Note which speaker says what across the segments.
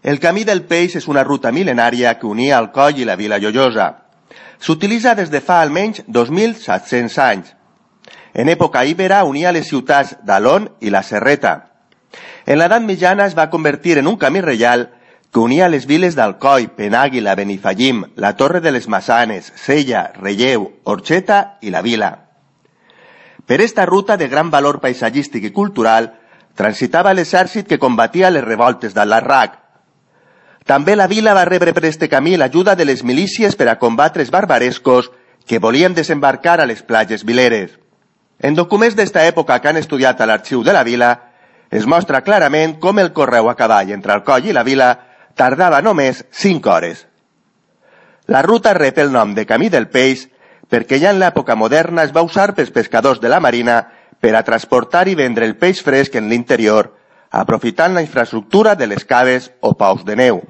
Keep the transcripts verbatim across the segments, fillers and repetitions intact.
Speaker 1: El Camí del Peix és una ruta mil·lenària que unia Alcoi i la Vila Joiosa. S'utilitza des de fa almenys dos mil set-cents anys. En època íbera unia les ciutats d'Alón i la Serreta. En l'edat mitjana es va convertir en un camí reial que unia les viles d'Alcoi, Penàguila, Benifallim, la Torre de les Maçanes, Sella, Relleu, Orxeta i la Vila. Per esta ruta de gran valor paisatgístic i cultural transitava l'exèrcit que combatia les revoltes d'Al-Larraq. També la vila va rebre per este camí l'ajuda de les milícies per a combatre els barbarescos que volien desembarcar a les platges vileres. En documents d'esta època que han estudiat a l'arxiu de la vila, es mostra clarament com el correu a cavall entre Alcoi i la vila tardava només cinc hores. La ruta rep el nom de Camí del Peix perquè ja en l'època moderna es va usar pels pescadors de la marina per a transportar i vendre el peix fresc en l'interior, aprofitant la infraestructura de les caves o paus de neu.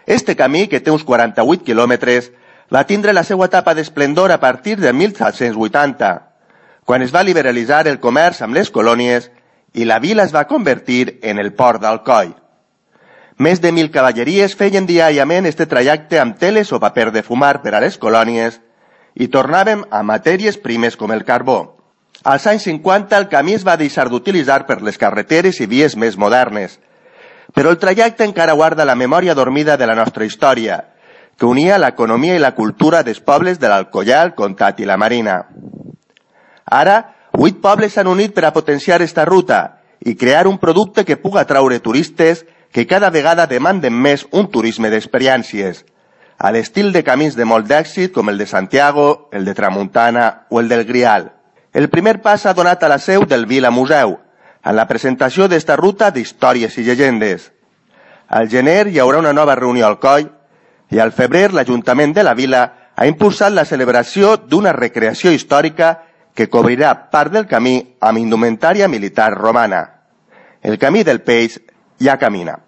Speaker 1: Este camí, que té uns quaranta-vuit quilòmetres, va tindre la seva etapa d'esplendor a partir de mil set-cents vuitanta, quan es va liberalitzar el comerç amb les colònies i la vila es va convertir en el port d'Alcoi. Més de mil cavalleries feien diàriament este trajecte amb teles o paper de fumar per a les colònies i tornàvem a matèries primes com el carbó. Als anys cinquanta el camí es va deixar d'utilitzar per les carreteres i vies més modernes, però el trajecte encara guarda la memòria dormida de la nostra història, que unia l'economia i la cultura dels pobles de l'Alcoià, el Comtat i la Marina. Ara, vuit pobles s'han unit per a potenciar esta ruta i crear un producte que puga atraure turistes que cada vegada demanden més un turisme d'experiències, a l'estil de camins de molt d'èxit com el de Santiago, el de Tramuntana o el del Grial. El primer pas s'ha donat a la seu del Vila Museu, en la presentació d'esta ruta d'històries i llegendes. Al gener hi haurà una nova reunió al Alcoi i al febrer l'Ajuntament de la Vila ha impulsat la celebració d'una recreació històrica que cobrirà part del camí amb indumentària militar romana. El Camí del Peix ja camina.